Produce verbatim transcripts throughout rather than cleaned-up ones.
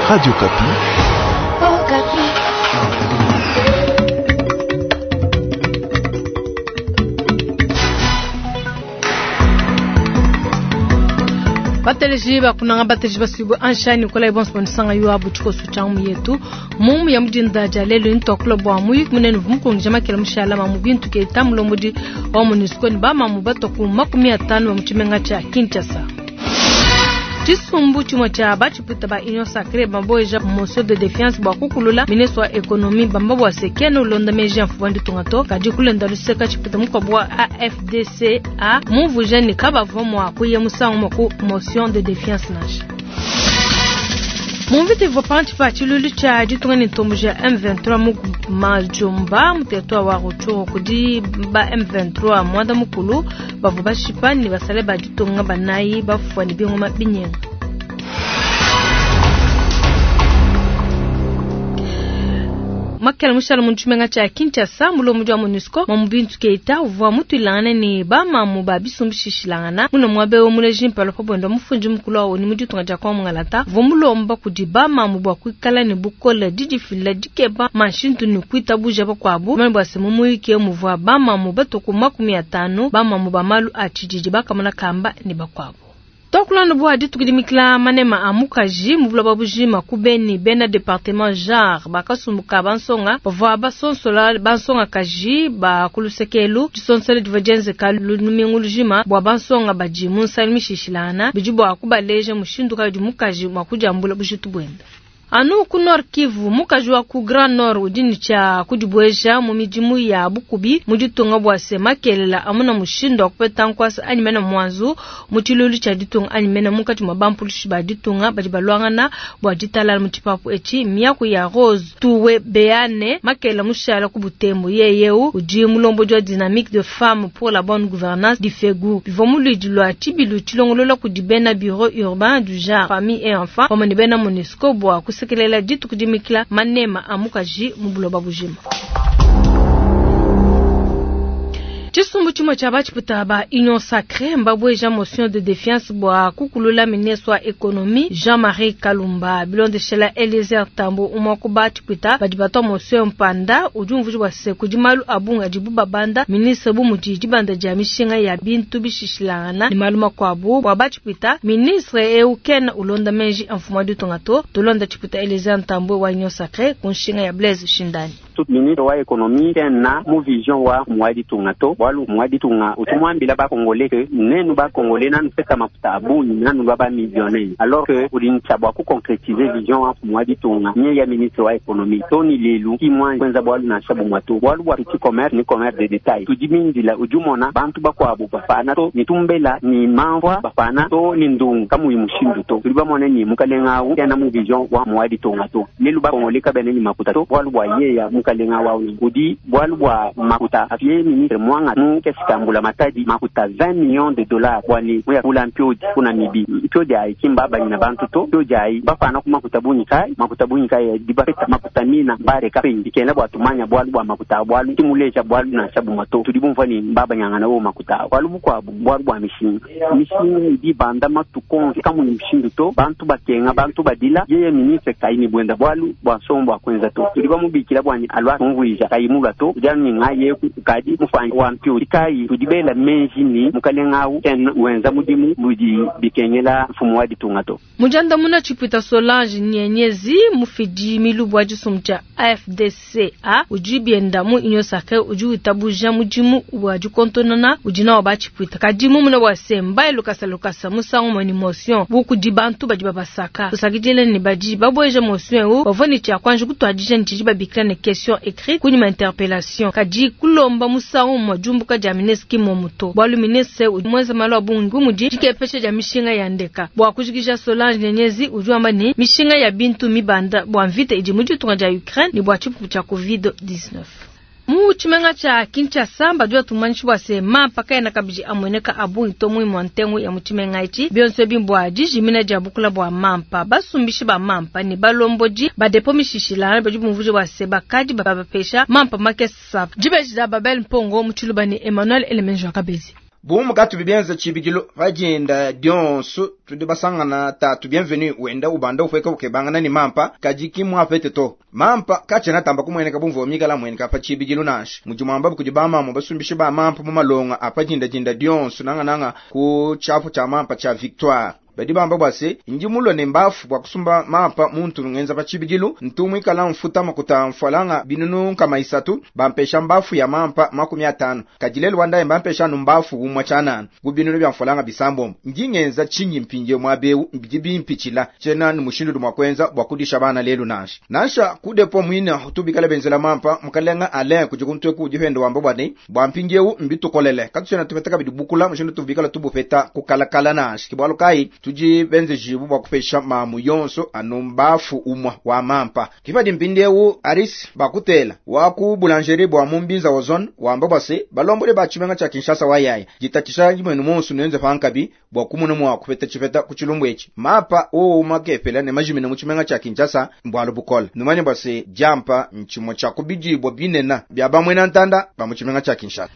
Radio Okapi. Oh, Bateleji bakunanga bateleji basuibwe anshani kola ibonso bonisanga yo abu tshikoso tsha mu yetu mumu ya mudinda ja lelo ntoklo bwa muyiki munene vumukongija makela mushala mamu bintu ke tamulombodi wa MONUSCO ni bamamu bato ku makumi atanu ba mutshimenga tsha Kinshasa. Tshisumbu tshimue tshia batshiputa ba Union Sacrée baboeja motion de défiance bwa kukulula ministre wa économie bamba bwa sekene ulonda meji ya mfumu wa ditunga to kadi kulenda luseka tshiputa mukuabu wa A F D C A mumvuija ne kabavua mua kuya musangu umue ku motion de défiance nansha. Mumvita ivua pantshi pa tshilulu tshia ditunga ne ntombo ja M vingt-trois mu Majomba mu territoire wa Rutshuru kudi ba M vingt-trois mwanda mukulu bavua bashipa ne basale ba ditunga banayi bafua ne bingoma binyenga. Makela mushala mu tshimenga tshia Kinshasa mulombodi wa MONUSCO Mamu Bintu Keita uvua mutuilangane ne bamamu ba bisumbishishilangana muna muabe wa muleji mpala pa bwenda mufundi mukulu wa ONU mu ditunga dia Kongo Ngalata uvua mulomba kudi bamamu bua kuikala ne bukole didifila dikeba manshintu ne kuitabuja bakuabu mane bua se mu muyiki muvua bamamu batoku makumi atanu bamamu ba malu a tshididi bakamona kamba ne bakuabu. Tokulanda bua dituku dimikila manema a mukaji mu buloba bujima ku Beni bena département genre bakasumbuka bansonga bavua basonsola bansonga kaji ba kulusekelu disonsola divua dienzeka lumingu lujima bua bansonga badi mu nsali mishishilana bidi bua kubaleja mushindu kayi udi mukaji mua kudiambula bujitu buende. Anu ku Nord Kivu mukaji wa ku Grand Nord udi ne tshia kudibueja mu midimu ya bukubi mu ditunga bua se makelela amuna mushindu wa kupeta nkwasa anyi mena mwanzu mu tshilulu tshia ditunga anyi mena munkatshi mua bampulushi ba ditunga badi baluangana bua ditalala mu tshipapu etshi miaku ya Rose Tuwe Beane makela mushala ku Butembo yeyeu udi mulombodi wa dynamique de femmes pour la bonne gouvernance di Fegu bivua mu luidi lua tshibilu tshilongolola kudi bena bureau urbain du genre famille et enfants pamue ne bena MONUSCO bua kusekelela dituku dimikila manema a mukaji mu buloba bujima. Tshisumbu tshimue tshia batshiputa ba Union Sacrée mbabweja motion de défiance bua kukulula ministre wa économie Jean-Marie Kalumba bilondeshela Eliezer Tambo umwe ku batshiputa badi batwa motion mpanda udi umvuja bua se kudi malu abunga adibu babanda ministre bu mudi dibanda dia mishinga ya bintu bishishilangana ne malu makuabu bua batshiputa ministre eu kena ulonda menji a mfumu wa ditunga to tulonda tshiputa Eliezer Tambo wa Union Sacrée ku nshinga ya Blaise Shindani. Ministre wa économie kena mu vision wa mwa ditunga to bwalu mwa ditunga utumwambila ba congolais que nenu ba congolais nanu pesa mafuta abungi nanu ba ba millionnaire alors que udi nchabwa ku concrétiser vision wa mwa ditunga nye ya ministre wa économie toni lelu ki mwa kwenza bwalu na shabu mwa to bwalu bwa petit commerce ni commerce de détail tudimindila ujumona bantu bakwabu bafana to ni tumbela ni mamvwa bafana to ni ndungu kamu mushindu to tuli bamone ni mukalenga au yana mu vision wa mwa ditunga to lelu ba congolais kabene ni makuta to bwalu bwa ye ya mukalenga wa udi bwalu bwa makuta afie ministre mwanga mu kesikambula matadi makuta vingt millions de dollars bwani muya kula mpiodi kuna mibi mpiodi ayi kimba banyina bantu to mpiodi ayi bafana ku makuta bunyi kai makuta bunyi kai dibafeta makuta mina bare kapendi kena bwa tumanya bwalu bwa makuta bwalu timuleja bwalu na shabu mato tudi bumva ni mbaba nyangana wo makuta bwalu bukwabu bwalu bwa mishinga mishinga idi banda matukonzi kamu ni mshindu to bantu bakenga bantu badila yeye ministre kai ni bwenda bwalu bwa sombo akwenza to tudi bamubikira bwani alwa mvuija kayimulwa to ujani ngaye kadi mufanya wa mpiodi kai tudibela menji ni mukalenga au ken wenza mudimu mudi bikengela mfumu wa ditunga to mujanda muna chipwita Solange Nyenyezi mufidi milubu wa tshisumbu tshia A F D C A udi bienda mu Union Sacrée udi witabuja mudimu wa dikontonona udi nawo batshipwita kadi mumuna wa semba elukasa lukasa musangu mwe motion bukudi bantu badi babasaka tusakidile ni badi babweja motion eu bavua ne tshia kwanja kutuadija ne tshidi babikila ne question écrite kunyima interpellation kadi kulomba musangu mwa jumbuka dia ministre kimomuto bwalu ministre udi mwenza malu abungi mudi dikepesha dia mishinga ya ndeka bua kujikija Solange Nyenyezi udi wamba ni mishinga ya bintu mibanda bua mvita idi mu ditunga dia Ukraine ne bua tshipupu tshia covid dix-neuf. Mu tshimenga tshia Kinshasa badi batumanyisha bua se mampa kaena kabidi amueneka abungi to muimu wa ntengu ya mu tshimenga etshi bionso ebi mbua dijimina dia bukula bua mampa basumbishi ba mampa ne balombodi ba depo mishishilana badi bumvuija bua se bakadi babapesha mampa makesa dibeji dia Babel Mpongo mu tshiluba ne Emmanuel Elemenjo Kabezi. Bumu katubi bienza tshibidilu pajinda dionso tudi basangana tatu Bienvenu wenda ubanda upweka ukebangana ni mampa kadi kimwapete to. Mampa kachena tamba kumweneka bumvo mikala mweneka pa tshibidilu nansha. Mujimwamba kudi bamama basumbishe ba mampa mu malonga apajinda jinda dionso nanga nanga ku chafu cha mampa cha Victoire. Badi bamba bwase ndi mulo ne mbafu bwa kusumba mampa muntu ngenza pa tshibidilu ntumwi kala mfuta makuta mfwalanga binunu kama isatu bampesha mbafu ya mampa makumi atano kadilelo wanda bampesha numbafu umwa chanana gubinunu bya mfwalanga bisambombo ndi ngenza chinyi mpinje mwabeu mbiji bimpichila chena ni mushindu mwa kwenza bwa kudisha bana lelu nansha nansha kudepo mwina tubikala benzela mampa mukalenga ale kujukuntwe kujihendo wamba bwane bwa mpinjeu mbitukolele katuchena tupetaka bidibukula mushindu tubikala tubupeta kukalakala nansha kibwalo kai tuji benze jibu bwa kupesha mamu yonso anumbafu umwa wa mampa kipadi mpindeu aris bakutela waku boulangerie bwa mumbinza ozone wamba bwase balombole ba chimenga cha Kinshasa wayaya jitatisha mwenu monsu nenze pankabi bwa kumuna mwa kupeta chipeta kuchilumbu echi mapa o makepela ne majimina mu chimenga cha Kinshasa mbwalo bukola numanye bwase jampa nchimo cha kubijibwa binena bya bamwe ntanda ba mu chimenga cha Kinshasa.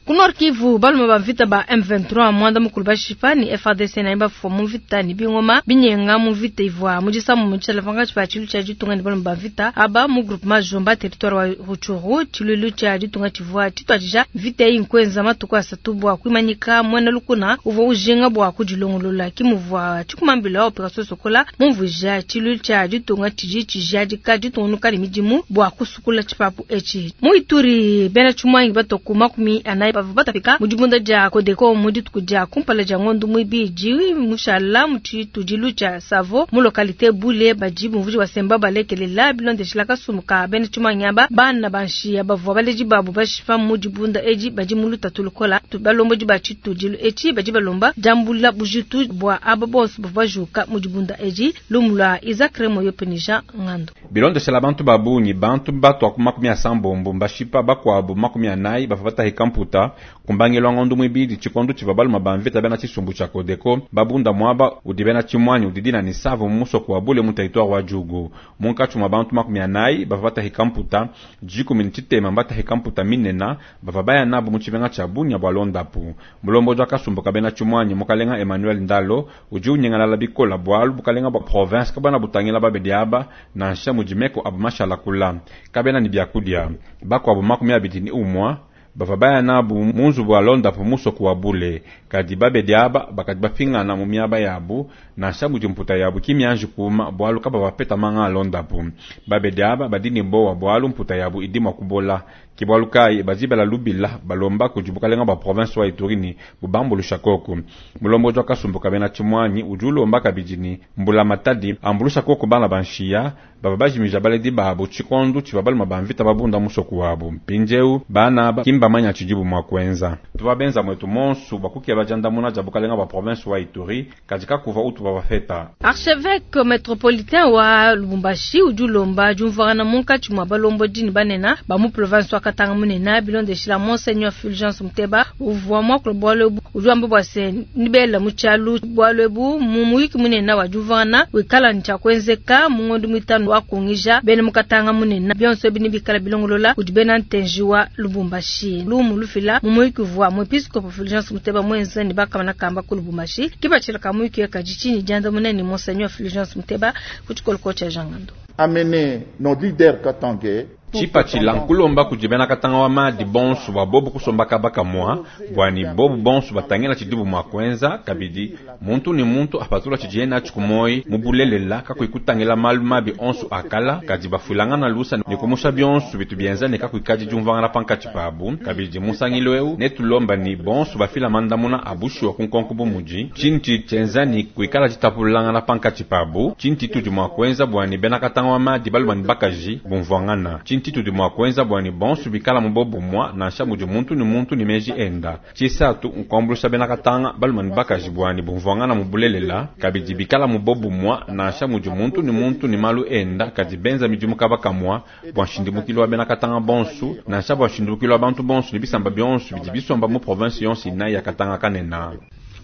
Ku Nord Kivu balume ba mvita ba M vingt-trois mwanda mukulu bashipa ni F A D C na imba fwa mu mvita ni bingoma binyenga mu mvita ivwa mu disamu mu tshala vanga tshipa tshilu tsha ditunga ni balume ba mvita aba mu groupement Jomba territoire wa Rutshuru tshilulu tsha ditunga tshivwa tshitwadija mvita iyi nkwenza matuku asatu bwa kwimanyika mwena lukuna uvwa ujinga bwa kudilongolola kimuvwa tshikumambila wa operation Sokola mumvuja tshilulu tsha ditunga tshiji tshijadika ditungunuka ne midimu bwa kusukula tshipapu etshi mu Ituri bena tshimwangi batoku makumi anayi batapika mudibunda dia Kodeko mudituku dia kumpala dia ngondo mwibidi mushala mutshitudilu tshia Savo mu localité Bule badi bumvuji wasemba balekelela bilondeshila kasumuka bene tshimanyaba bana banshiya bavua baleji babu bashipa mudibunda edi badi muluta tulukola balombo ba tshitudilu etshi badi balomba jambula bujitu bwa aba bonso bavua bajuka mudibunda edi lumula Isaac Remo yopenija ngando bilondeshela bantu babunyi bantu batwa ku makumi asambombo mbashipa bakwabo makumi anayi bavua batahika mputa kumbangilwa ngondo mwibidi chikondo chiva baluma bamvita bena chisumbu cha Kodeko babunda mwaba udi bena chimwanyi udidina ni Savo musoko wa Bule mu territoire wa Djugu munkachu mwa bantu makumi anayi bava batahika mputa jikumi nchitema mbatahika mputa minena bava baya nabo mu chibenga cha Bunya bwa Londapu mulombo jwa kasumbu ka bena chimwanyi mukalenga Emmanuel Ndalo uji unyengala bikola bwalu bukalenga bwa province kabana butangila babedi aba nansha mujimeko abumashala kula kabena ni byakudia bakwabo makumi abidi ni umwa bava baya nabu munzu bwa Londapu musoko wa Bule kadi babedi aba bakadi bapingana mu miaba yabu nansha mudi mputa yabu kimyanji kuma bwalu kaba bapeta manga Londapu babedi aba badini bowa bwalu mputa yabu idima kubola kibwalu kai bazibela lubila balomba kujibukalenga ba province wa Ituri ni bubambulusha koko mulombo jwa kasumbuka bena chimwanyi ujulomba kabijini mbula matadi ambulusha koko bana banshiya baba bajimija baledi babo chikondu chibabaluma bamvita babunda musoko wabo mpinjeu bana ba kimba manya chijibu mwa kwenza tubabenza mwetu monsu bakukia bajandamuna jabukalenga ba province wa Ituri katika kuva utu babafeta. Archevêque métropolitain wa Lubumbashi ujulomba jumvana munkachi mwa balombo dini banena ba mu province wa Katanga munena bilondeshila Monseigneur Fulgence Muteba uvwa mwa kulobwalo ujwamba bwase nibela muchalu bwalwebu mu muyiki munena wa jumvana wikala ncha kwenzeka mungondo mitano wa kungija bene mukatanga munena byonso bini bikala bilongolola ujibena ntenji wa Lubumbashi lumu lufila mu muyiki vwa mwepiskopo Fulgence Muteba mwenza ni bakamana kamba ku Lubumbashi kibachila kamuyiki kajichini janda munene Monseigneur Fulgence Muteba kuchikoloko cha Jangando amener nos leaders katangais Chipachila nkulomba kujibena katanga wa madi bonsu wa bobu kusomba kabaka mwa bwani bobu bonsu batangela chidibu mwa kwenza kabidi muntu ni muntu apatula chijiena chikumoi mubulelela kakuikutangela malu mabi onsu akala kadi bafulanga na lusa ni kumusha bionsu bitu bienza ne kakuikaji jumvangana panka chipabu kabidi musangilo eu netulomba ni bonsu bafila mandamuna abushu kunkonko bumuji chinti chenza ni kuikala chitapulanga na panka chipabu chinti tudi mwa kwenza bwani bena katanga wa madi balubani bakaji bumvangana chinti tudi mwa kwenza bwani bonsu bikala mubobu mwa nansha mudi muntu ni muntu ni meji enda chisatu nkwambulusha bena katanga balumani bakaji bwani bumvangana mubulelela kabidi bikala mubobu mwa nansha mudi muntu ni muntu ni malu enda kadi benza midimu kabaka mwa bwa nshindimukilo wa bena katanga bonsu nansha bwa nshindimukilo wa bantu bonsu ni bisamba bionsu bidi bisomba mu province yonsi inayi ya Katanga kanena.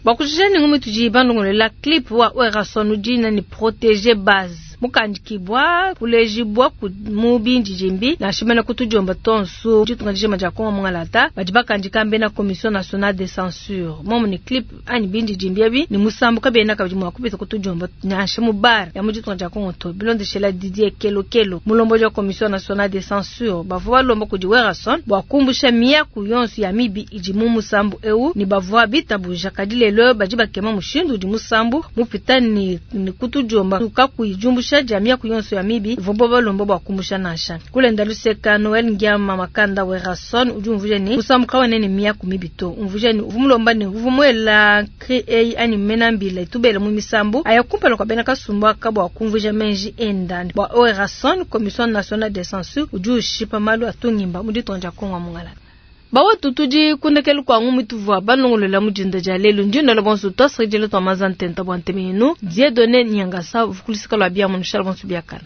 Bakujeni ngumi tuji bandongolela clip wa Werrason udina ni protéger base. Mukandikibwa kulejibwa ku mu bindidimbi nansha mene ku tudiomba tonsu ditunga dijima dia Kongo mungalata badi bakandika mbena Commission nationale de censure momu ni clip anyi bindidimbi ebi ni musambu kabiena kabidi mua kupita ku tudiomba nansha mu bar ya mu ditunga dia Kongo to bilondeshela Didier Kelokelo mulombodi wa Commission nationale de censure bavua balomba kudi Werrason bua kumbusha miaku yonso ya mibi idi mu musambu eu ni bavua bitabuja kadi lelo badi bakema mushindu udi musambu mupita ni, ni kutudiomba kakuyi diumbusha dia miaku yonso ya mibi ivua balomba bua kumbusha nansha kulenda luseka Noel Ngiama Makanda Werrason udi umvuja ni musambu kawena ni miaku mibi to umvuja ni uvua mulomba ni uvua muela cri eyi anyi mena mbila itubele mu misambu aya kumpala kua bena kasumbu aka bua kumvuja menji enda bua Werrason Commission nationale de censure udi ushipa malu atungimba mu ditunga dia Kongo mungala bawetu tudi kundekelu kua ngumu tuvua balongolola mu dinda dia lelu ndinda bonso twasakidila twa maza ntenta bua nteme yenu Dieudonné Nyangasa vukulusika lua bia mu nushala bonso biakana.